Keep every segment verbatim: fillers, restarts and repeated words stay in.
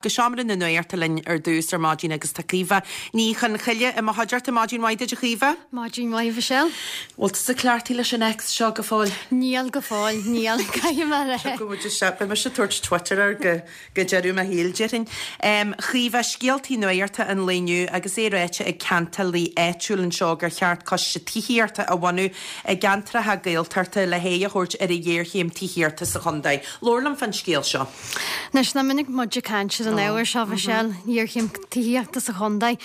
Go seomra na nuachta linn ar dtús ar maidin agus tá Caoimhe Ní Chonchoille i mo chuideachta. Maidin mhaith duit, a Chaoimhe. Maidin mhaith, Michelle. Bhfuil tú cleachtaithe leis an X seo go fóill? Níl go fóill, níl caithfidh mé. Beidh mise ag tabhairt Twitter air go go deireadh mo shaoil, déarfainn. Chaoimhe, scéaltaí nuachta an lae inniu agus é ráite ag ceantálaí áitiúil anseo gur cheart coiste tithíochta a bhunú i gceantracha Gaeltachta le haghaidh a thabhairt ar an ghéarchéim tithíochta sa chontae. Labhair liom fán scéal seo. Anois, nach minic muid ag caint ar an ábhar seo, Michelle, géarchéim tithíochta sa chontae.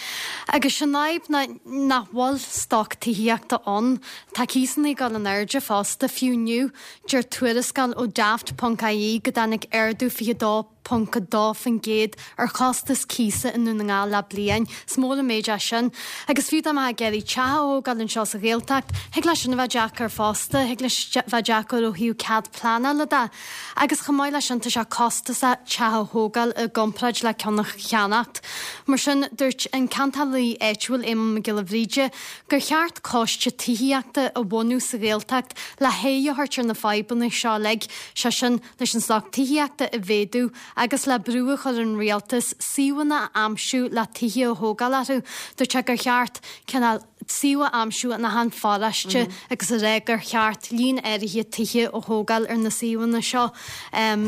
Agus sin fhadhb ná nach bhfuil stoc tithíochta ann. Tá cíosanna ag dul in airde fosta, fiú inniu, deir tuarascáil ó Daft ponc ie go dtáinig ardú fiche dó ponc a dó faoin gcéad ar chostas cíosa i nDún na nGall le bliain. Is mór an méid é sin. Agus fiú dá mbeifeá ag iarraidh teach a thógáil anseo sa Ghaeltacht, thig leis sin a bheith deacair fosta, thig leis bheith deacair ó thaobh cead pleanála de. Agus chomh maith leis sin, tá sé costasach teach a thógáil i gcomparáid le ceann a cheannacht. Mar sin, dúirt an ceantálaí áitiúil Éamonn Mac Giolla Bhríde gur cheart coiste tithíochta a bhunú sa Ghaeltacht le haghaidh a thabhairt ar na fadhbanna seo uilig, sé sin, leis an stoc tithíochta a mhéadú agus le brú a chur ar an rialtas suíomhanna a aimsiú le tithe a thógáil orthu. Dúirt sé gur cheart cineál suíomh a aimsiú in achan pharóiste agus a rá gur cheart líon áirithe tithe a thógáil ar na suíomhanna seo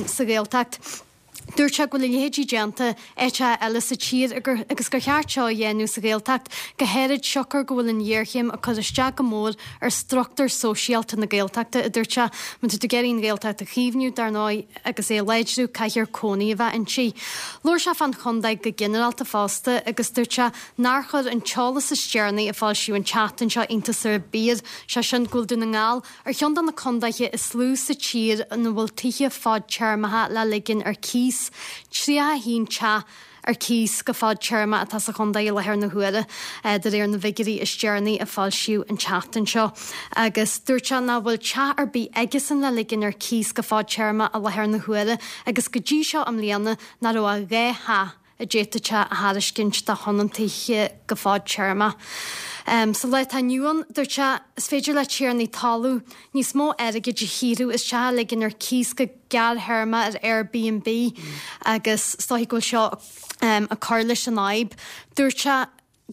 sa Ghaeltacht. Dúirt sé go bhfuil a leithéidí déanta áiteacha eile sa tír agus gur cheart seo a dhéanamh sa Ghaeltacht, go háirid siocair go bhfuil an ghéarchéim ag cur isteach go mór ar struchtúr sóisialta na Gaeltachta, a dúirt sé. Má tá tú ag iarraidh an Ghaeltacht a chaomhnú, dar ndóigh, agus é a láidriú, caithfear cónaí a bheith inti. Labhair sé fán chontae go ginearálta fosta agus dúirt sé nár chuir an t-eolas is deireanaí a foilsíodh an tseachtain seo iontas ar bith air, sé sin go bhfuil Dún na nGall ar cheann de na contaetha is lú sa tír ina bhfuil tithe fadtéarmacha le ligean ar cíos, tríocha a haon teach ar cíos go fadtéarma atá sa chontae i láthair na huaire, de réir na bhfigiúirí is deireanaí a foilsíodh an tseachtain seo. Agus dúirt sé nach bhfuil teach ar bith aigesan le ligean ar cíos go fadtéarma i láthair na huaire agus go dtí seo i mbliana nach raibh ach dhá theach a d'fhéadfadh sé a thairiscint do thionóntaithe go fadtéarma. Sa lá atá inniu ann, dúirt sé, is féidir le tiarnaí talún níos mó airgid a shaothrú as teach a ligean ar cíos go gearrthéarma ar Airbnb agus is dóichí go bhfuil seo ag cur leis an fhadhb. Dúirt sé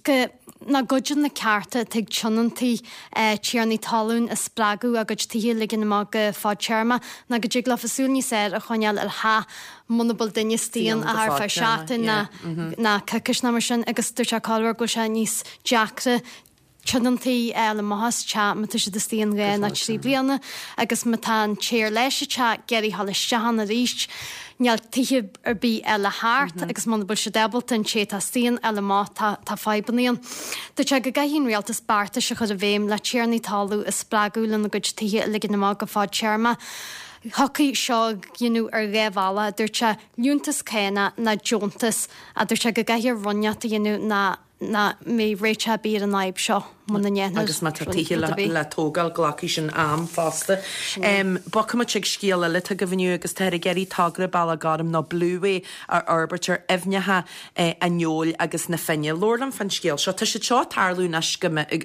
go nach gcuideann na cearta atá ag tionóntaí tiarnaí talún a spreagadh a gcuid tithe a ligean amach go fadtéarma ná go dtig leofa súil níos fhearr a choinneáil ar theach muna bhfuil duine istigh ann ach ar feadh seachtain ná coicís ná mar sin agus dúirt sé corruair go bhfuil sé níos deacra tionóntaí a fháil amach as teach má tá siad istigh ann dhá nó trí bliana agus má tá an té ar leis an teach ag iarraidh a ghabháil isteach ann arís níl tithe ar bith eile thart agus muna bhfuil siad ábalta an té atá istigh ann a fháil amach tá tá fadhbanna ann. Dúirt sé go gcaithfidh an rialtas beartais a chur i bhfeidhm le tiarnaí talún a spreagadh lena gcuid tithe a ligean amach go fadtéarma. Thiocfadh seo a dhéanamh ar dhá bhealach, a dúirt sé, liúntas cánach ná deontas, a dúirt sé go gcaithfear rud inteacht a dhéanamh ná nach mbeidh réiteach ar bith ar an fhadhb seo muna ndéanfar Agus má tá tithe le tógáil, glacfaidh sin am fosta. Bogfaimid chuig scéal eile atá agaibh inniu agus táthar ag iarraidh togra Bealach Gorm nó Blueway a fhorbairt ar aibhneacha an Fheoil agus na Finne. Labhair liom fán scéal seo. Tá siad seo ag tarlú anois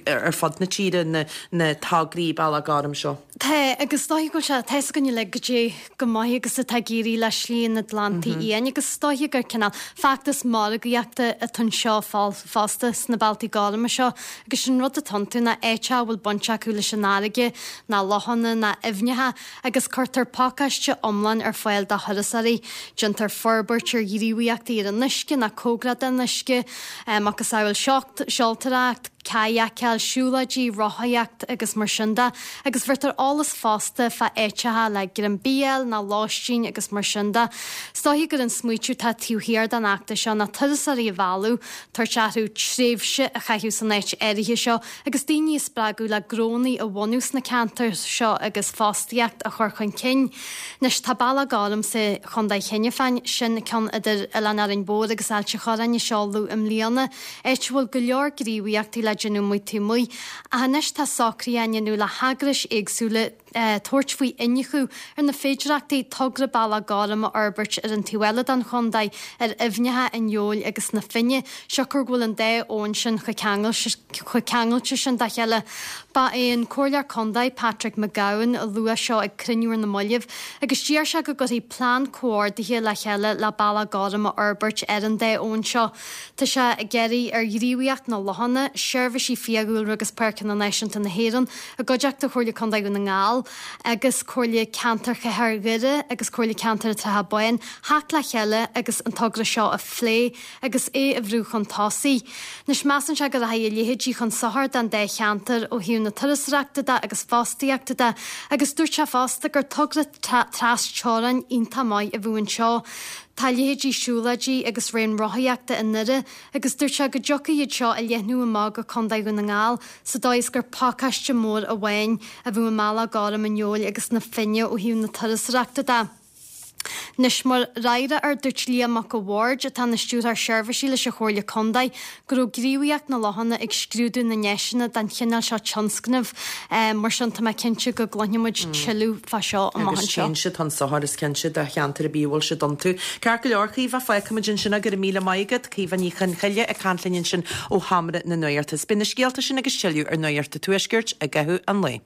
ar fud na tíre, na tograí Bealach Gorm seo. Tá, agus is dóiche go bhfuil sé, tá fhios againn uilig goidé chomh maith agus atá ag éirí le Slí an Atlantaigh Fhiáin agus is dóiche gur cineál feachtas margaíochta atá anseo fosta sna bealtaí gorma seo agus sin rud atá iontu ná áiteacha a bhfuil baint acu leis an fharraige ná lochanna ná aibhneacha agus cuirtear pacáiste iomlán ar fáil do thurasóirí. Déantar forbairt ar ghníomhaíochtaí ar an uisce ná cóngarach don uisce, macasamhail seoltóireacht, cadhacáil, siúlóidí, rothaíocht agus mar sin de, agus bheirtear eolas fosta fá áiteacha le greim bídh a fháil ná lóistín agus mar sin de. Is dóiche gur an smaoitiú atá taobh thiar den fheachtas seo ná turasóirí a mhealladh, tabhairt orthu tréimhse a chaitheamh san áit áirithe seo agus daoine a spreagadh le gnónnaí a bhunú sna ceantair seo agus fostaíocht a chur chun cinn. Anois tá Bealach Gorm sa Chontae cheana féin, sin ceann idir Oileán Árainn Mhór agus Ailt an Chorráin a seoladh i mbliana, áit a bhfuil go leor gníomhaíochtaí le déanamh amuigh taobh amuigh. Ach anois tá socruithe á ndéanamh le heagrais éagsúla tabhairt faoi iniúchadh ar na féidearthachtaí togra Bealach Gorm a fhorbairt ar an taobh eile den chontae, ar aibhneacha an Fheoil agus na Finne, siocair go bhfuil an dá abhainn sin chomh ceangailte sin dá chéile. Ba é an Comhairleoir Contae, Patrick McGowan, a luaigh seo ag cruinniú ar na mallaibh agus d'iarr sé go gcuirfí plean comhordaithe le chéile le Bealach Gorm a fhorbairt ar an dá abhainn seo. Tá sé ag iarraidh ar Ghníomhaíocht na Lochanna, Seirbhísí Fiadhúlra agus Páirceanna Náisiúnta na hÉireann, i gcuideachta Chomhairle Contae Dhún na nGall agus Comhairle Ceantair Chathair Dhoire agus Comhairle Ceantair an tSratha Báin, theacht le chéile agus an togra seo a phlé agus é a bhrú chun tosaigh. Anois measann sé go rachaidh a leithéidí chun sochair don dá cheantar ó thaobh na turasóireachta de agus fostaíochta de agus dúirt sé fosta gur togra tras-teorainn iontach maith a bheadh anseo. Tá leithéidí siúlóidí agus raon rothaíochta i nDoire agus dúirt sé go dtiocfadh iad seo a leathnú amach go Contae Dhún na nGall sa dóigh is gur pacáiste mór amháin a bheadh i mBealach Gorm an Fheoil agus na Finne ó thaobh na turasóireachta de. Anois, mar fhreagra air, dúirt Liam Mac a' Bhaird, atá ina Stiúrthóir Seirbhísí leis an Chomhairle Contae, go raibh Gníomhaíocht na Lochanna ag scrúdú na ndeiseanna don chineál seo tionscnaimh. Mar sin, tá mé cinnte go gcluinfidh muid tuilleadh fá seo amach Agus anseo. Téann siad chun sochair, is cinnte, do cheantar ar bith a bhfuil siad iontu. Ceart go leor, Caoimhe, fágfaimid ansin é, go raibh míle maith agat. Caoimhe Ní Chonchoille ag caint linn ansin ó Sheomra na Nuachta. Beidh na scéalta sin agus tuilleadh ar Nuacht an Tuaiscirt i gcaitheamh an lae.